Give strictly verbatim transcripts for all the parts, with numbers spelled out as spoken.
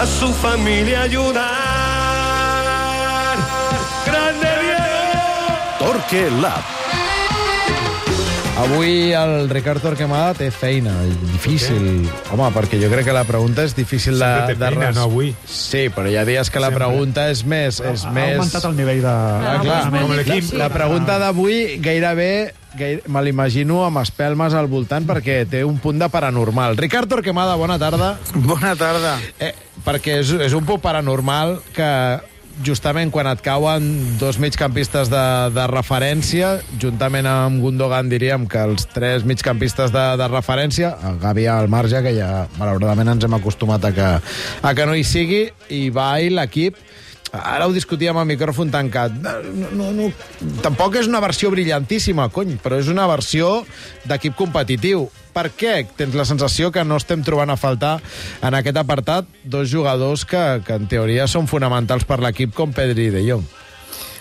a su familia ayudar. ¡Grande Diego! Torque Lab. Avui el Ricard Torquemada té feina, difícil. Home, perquè jo crec que la pregunta és difícil de... Sempre té feina, de... no avui. Sí, però hi ha dies que la Sempre. pregunta és més... És ha més... augmentat el nivell de... Ah, clar, com l'equip. la, la pregunta d'avui gairebé, gaire, me l'imagino amb espelmes al voltant perquè té un punt de paranormal. Ricard Torquemada, bona tarda. Bona tarda. Eh, perquè és, és un punt paranormal que justament quan et cauen dos migcampistes de, de referència, juntament amb Gundogan diríem que els tres migcampistes de, de referència, el Gavi al marge, que ja malauradament ens hem acostumat a que, a que no hi sigui, i va i l'equip. Ara ho discutíem a micròfon tancat. No, no, no, tampoc és una versió brillantíssima, cony, però és una versió d'equip competitiu. Per què tens la sensació que no estem trobant a faltar en aquest apartat dos jugadors que, que en teoria són fonamentals per l'equip com Pedri i De Jong?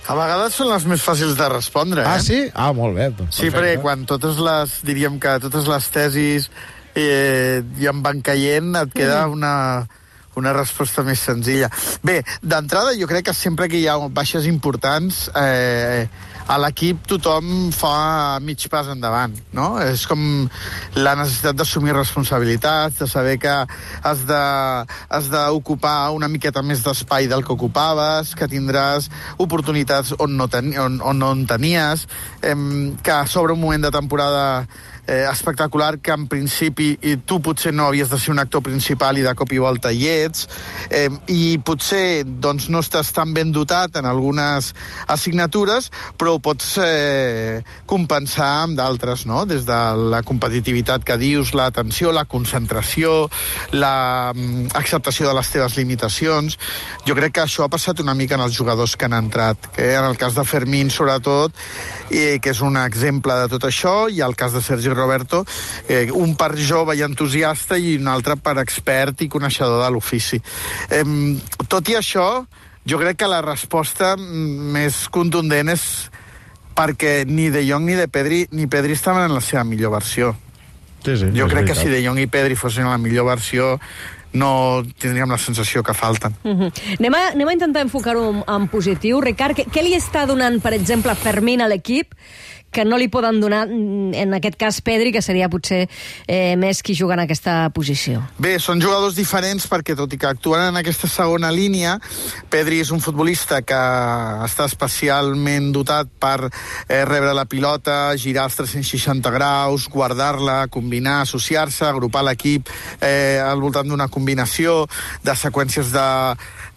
A vegades són les més fàcils de respondre, eh? Ah, sí? Ah, molt bé. Doncs, sí, perquè quan totes les, diríem que totes les tesis eh, ja en van caient, et queda mm. una... una resposta més senzilla. Bé, d'entrada jo crec que sempre que hi ha baixes importants eh, a l'equip tothom fa mig pas endavant, no? És com la necessitat d'assumir responsabilitats, de saber que has de, has d'ocupar una miqueta més d'espai del que ocupaves, que tindràs oportunitats on no, ten, on, on no en tenies, eh, que sobre un moment de temporada Eh, espectacular, que en principi i tu potser no havies de ser un actor principal i de cop i volta hi ets, eh, i potser doncs, no estàs tan ben dotat en algunes assignatures, però ho pots eh, compensar amb d'altres, no? Des de la competitivitat que dius, l'atenció, la concentració, la mm, acceptació de les teves limitacions. Jo crec que això ha passat una mica en els jugadors que han entrat, que en el cas de Fermín sobretot, eh, que és un exemple de tot això, i el cas de Sergi Roberto, eh, un per jove i entusiasta i un altre per expert i coneixedor de l'ofici. Eh, tot i això, jo crec que la resposta més contundent és perquè ni De Jong ni de Pedri ni Pedri estaven en la seva millor versió. Sí, sí, jo crec veritat. que si De Jong i Pedri fossin en la millor versió no tindríem la sensació que falten. Mm-hmm. Anem, a, anem a intentar enfocar-ho en positiu. Ricard, què, què li està donant, per exemple, Fermín a l'equip que no li poden donar, en aquest cas, Pedri, que seria potser eh, més qui juga en aquesta posició? Bé, són jugadors diferents perquè, tot i que actuen en aquesta segona línia, Pedri és un futbolista que està especialment dotat per eh, rebre la pilota, girar els tres-cents seixanta graus, guardar-la, combinar, associar-se, agrupar l'equip eh, al voltant d'una combinació, de seqüències de,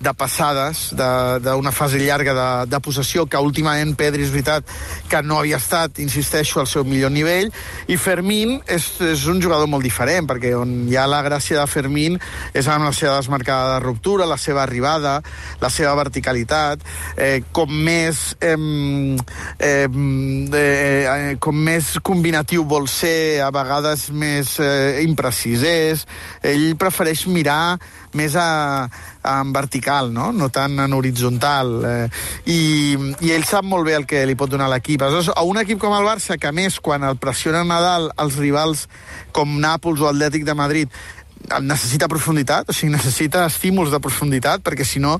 de passades, d'una fase llarga de, de possessió, que últimament Pedri és veritat que no havia estat, insisteixo, al seu millor nivell, i Fermín és, és un jugador molt diferent, perquè on hi ha la gràcia de Fermín és amb la seva desmarcada de ruptura, la seva arribada, la seva verticalitat, eh, com més eh, eh, eh, com més combinatiu vol ser, a vegades més eh, imprecís és, ell prefereix mirar més a, a en vertical, no? No tant en horitzontal. Eh, i, I ell sap molt bé el que li pot donar l'equip. Aleshores, a un equip com el Barça, que a més, quan el pressionen a dalt els rivals com Nàpols o Atlètic de Madrid, necessita profunditat, o sigui, necessita estímuls de profunditat, perquè si no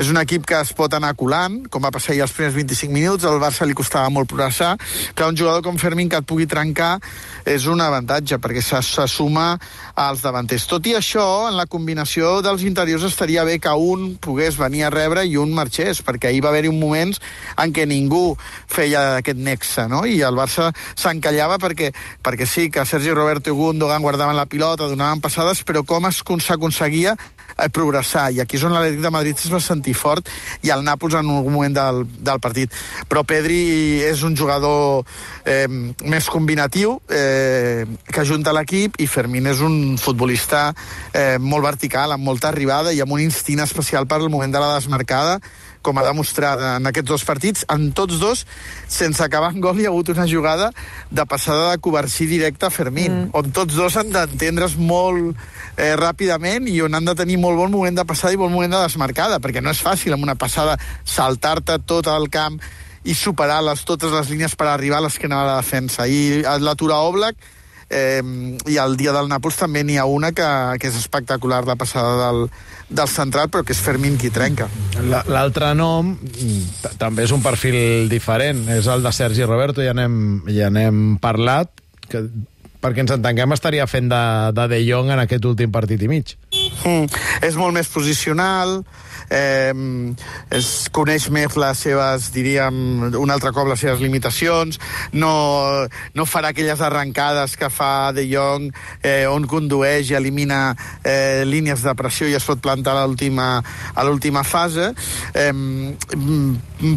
és un equip que es pot anar colant, com va passar ja els primers vint-i-cinc minuts, al Barça li costava molt progressar, que un jugador com Fermín que et pugui trencar és un avantatge, perquè se, se suma als davanters. Tot i això, en la combinació dels interiors estaria bé que un pogués venir a rebre i un marxés, perquè ahir va haver-hi un moments en què ningú feia aquest nexe, no? I el Barça s'encallava perquè, perquè sí, que Sergi Roberto i Gundogan guardaven la pilota, donaven passades, però com s'aconseguia eh, progressar, i aquí és on l'Atlètic de Madrid es va sentir fort, i el Nàpols en algun moment del, del partit. Però Pedri és un jugador eh, més combinatiu, eh, que ajunta l'equip, i Fermín és un futbolista eh, molt vertical, amb molta arribada i amb un instint especial per al moment de la desmarcada, com ha demostrat en aquests dos partits. En tots dos, sense acabar en gol, hi ha hagut una jugada de passada de Covarsí directe a Fermín, mm. on tots dos han d'entendre's molt eh, ràpidament i on han de tenir molt bon moment de passada i bon moment de desmarcada, perquè no és fàcil amb una passada saltar-te tot el camp i superar les, totes les línies per arribar a l'esquena de la defensa. I l'aturar Oblak eh, i el dia del Nàpols també n'hi ha una que, que és espectacular, la passada del, del central, però que és Fermín qui trenca. L'altre nom també és un perfil diferent, és el de Sergi Roberto, ja n'hem ja n'hem parlat, que, perquè ens entenguem, estaria fent de, de De Jong en aquest últim partit i mig. Mm, és molt més posicional, eh, es coneix més les seves, diríem, un altre cop les seves limitacions, no, no farà aquelles arrencades que fa De Jong, eh, on condueix i elimina eh, línies de pressió i es pot plantar a l'última a l'última fase, eh,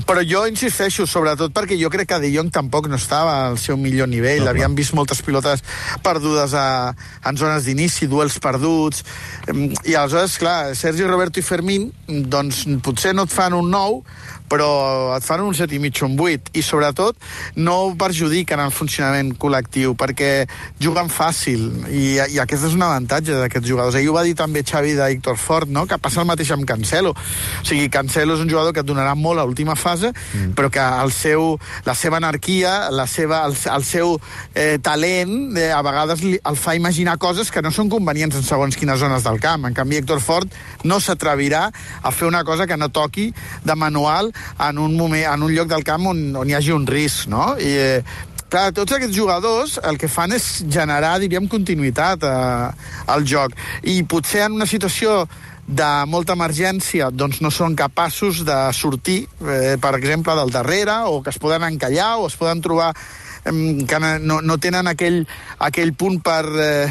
però jo insisteixo, sobretot perquè jo crec que De Jong tampoc no estava al seu millor nivell, no, havíem vist moltes pilotes perdudes a, en zones d'inici, duels perduts, eh, i aleshores, clar, Sergi Roberto i Fermín, doncs potser no et fan un nou, però et fan un set i mig o un vuit, i sobretot no perjudiquen el funcionament col·lectiu, perquè juguen fàcil, i, i aquest és un avantatge d'aquests jugadors. Ahir ho va dir també Xavi de Héctor Fort, no? Que passa el mateix amb Cancelo. O sigui, Cancelo és un jugador que et donarà molt a l'última fase, mm. però que el seu, la seva anarquia, la seva, el, el seu eh, talent, eh, a vegades li, el fa imaginar coses que no són convenients en segons quines zones del camp. En canvi, Héctor Fort no s'atrevirà a fer una cosa que no toqui de manual en un moment, en un lloc del camp on, on hi hagi un risc, no? I, eh, clar, tots aquests jugadors el que fan és generar, diríem, continuïtat eh, al joc. I potser en una situació de molta emergència doncs no són capaços de sortir, eh, per exemple, del darrere, o que es poden encallar, o es poden trobar eh, que no, no tenen aquell, aquell punt per, eh,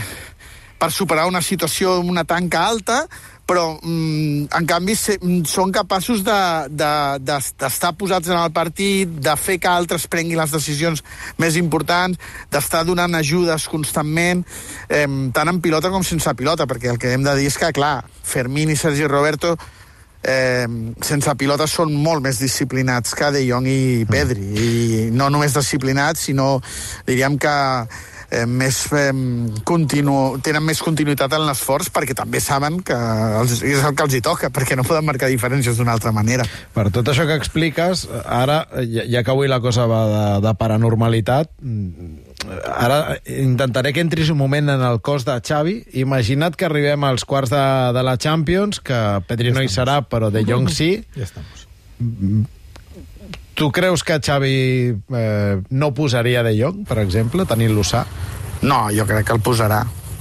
per superar una situació amb una tanca alta, però, mm, en canvi, se, són capaços d'estar de, de, de, posats en el partit, de fer que altres prenguin les decisions més importants, d'estar donant ajudes constantment, eh, tant en pilota com sense pilota, perquè el que hem de dir és que, clar, Fermín i Sergi Roberto eh, sense pilota són molt més disciplinats que De Jong i Pedri, i no només disciplinats, sinó, diríem que Eh, més, eh, continu, tenen més continuïtat en l'esforç, perquè també saben que els, és el que els hi toca, perquè no poden marcar diferències d'una altra manera. Per tot això que expliques, ara, ja, ja que avui la cosa va de, de paranormalitat, ara intentaré que entris un moment en el cos de Xavi. Imagina't que arribem als quarts de, de la Champions, que Pedri no hi serà, però De Jong sí. Ja estamos. Tu creus que Xavi eh, no posaria De Jong, per exemple, tenint-lo sa? No, jo crec que el posarà.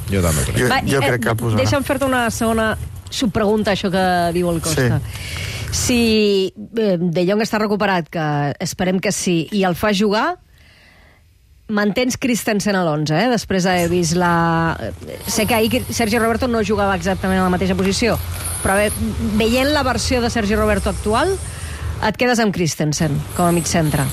Jo també crec. Jo, Va, jo eh, crec que el posarà. Deixa'm fer-te una segona subpregunta, això que diu el Costa. Sí. Si eh, De Jong està recuperat, que esperem que sí, i el fa jugar, mantens Christensen a l'onze, eh? Després d'haver vist la... Sé que ahir Sergi Roberto no jugava exactament a la mateixa posició, però bé, veient la versió de Sergi Roberto actual, et quedes amb Christensen com a mig centre.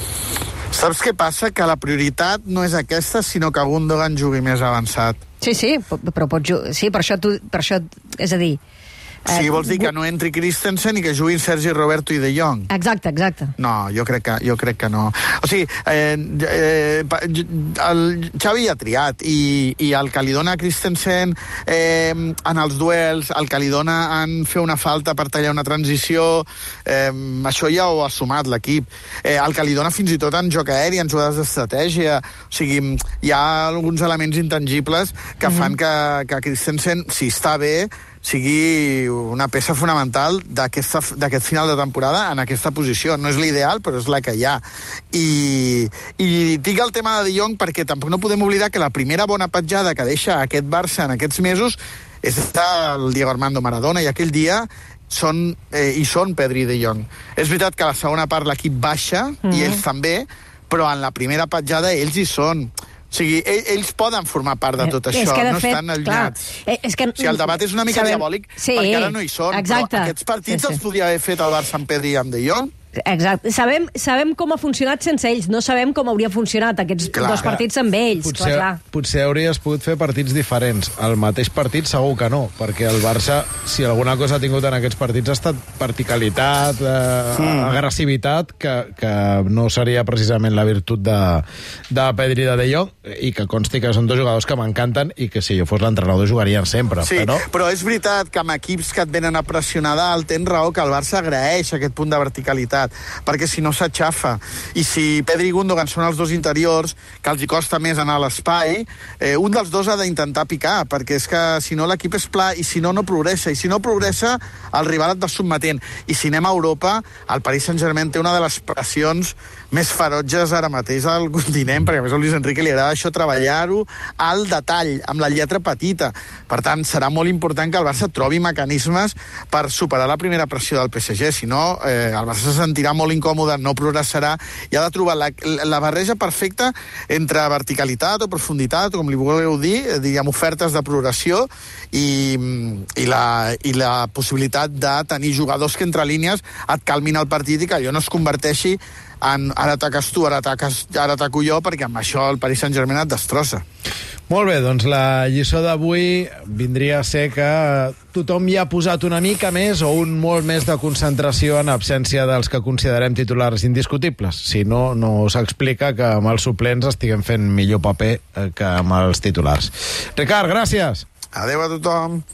Saps què passa? Que la prioritat no és aquesta, sinó que Gundogan jugui més avançat. Sí, sí, però pot jugar... Sí, per això, tu, per això... És a dir... Sí, vols dir que no entri Christensen i que juguin Sergi Roberto i De Jong? Exacte, exacte. No, jo crec que, jo crec que no. O sigui, eh, eh, el Xavi ha triat, i, i el que li dona a Christensen eh, en els duels, el que li dona en fer una falta per tallar una transició, eh, això ja ho ha sumat l'equip. Eh, el que li dona fins i tot en joc aeri, en jugades d'estratègia. O sigui, hi ha alguns elements intangibles que mm-hmm. fan que, que Christensen, si està bé, sigui una peça fonamental d'aquest final de temporada en aquesta posició. No és l'ideal, però és la que hi ha. I, i dic el tema de De Jong perquè tampoc no podem oblidar que la primera bona petjada que deixa aquest Barça en aquests mesos és el Diego Armando Maradona, i aquell dia són, eh, hi són Pedri i De Jong. És veritat que a la segona part l'equip baixa, mm-hmm. i ells també, però en la primera petjada ells hi són. O sigui, ells poden formar part de tot això, no fet, estan allunyats. Clar, és que, o sigui, el debat és una mica sabem, diabòlic, sí, perquè ara no hi són, exacte. Però aquests partits sí, sí. els podria haver fet el Barça amb Pedri i amb De Jong. Exacte. Sabem, sabem com ha funcionat sense ells, no sabem com hauria funcionat aquests clar, dos partits amb ells. Potser, clar, clar. potser hauries pogut fer partits diferents. El mateix partit segur que no, perquè el Barça, si alguna cosa ha tingut en aquests partits, ha estat verticalitat, eh, mm. agressivitat, que, que no seria precisament la virtut de, de Pedri i de De Jong, i que consti que són dos jugadors que m'encanten i que si jo fos l'entrenador jugarien sempre. Sí, però... però és veritat que amb equips que et venen a pressionar dalt, tens raó que el Barça agraeix aquest punt de verticalitat. profunditat, perquè si no s'aixafa. I si Pedri i Gundogan són els dos interiors, que els hi costa més anar a l'espai, eh, un dels dos ha d'intentar picar, perquè és que si no l'equip és pla, i si no, no progressa, i si no progressa, el rival et va sotmetent. I si anem a Europa, el Paris Saint-Germain té una de les pressions més ferotges ara mateix al continent, perquè a més a Luis Enrique li agrada això, treballar-ho al detall, amb la lletra petita. Per tant, serà molt important que el Barça trobi mecanismes per superar la primera pressió del P S G, si no, eh, el Barça se sentirà molt incòmode, no progressarà, i ha de trobar la, la barreja perfecta entre verticalitat o profunditat, o com li voleu dir, eh, diguem, ofertes de progressió i, i, la, i la possibilitat de tenir jugadors que entre línies et calmin el partit i que allò no es converteixi en ara ataques tu, ara, ataques, ara ataco jo, perquè amb això el Paris Saint-Germain et destrossa. Molt bé, doncs la lliçó d'avui vindria a ser que tothom hi ha posat una mica més o un molt més de concentració en absència dels que considerem titulars indiscutibles. Si no, no s'explica que amb els suplents estiguem fent millor paper que amb els titulars. Ricard, gràcies. Adéu a tothom.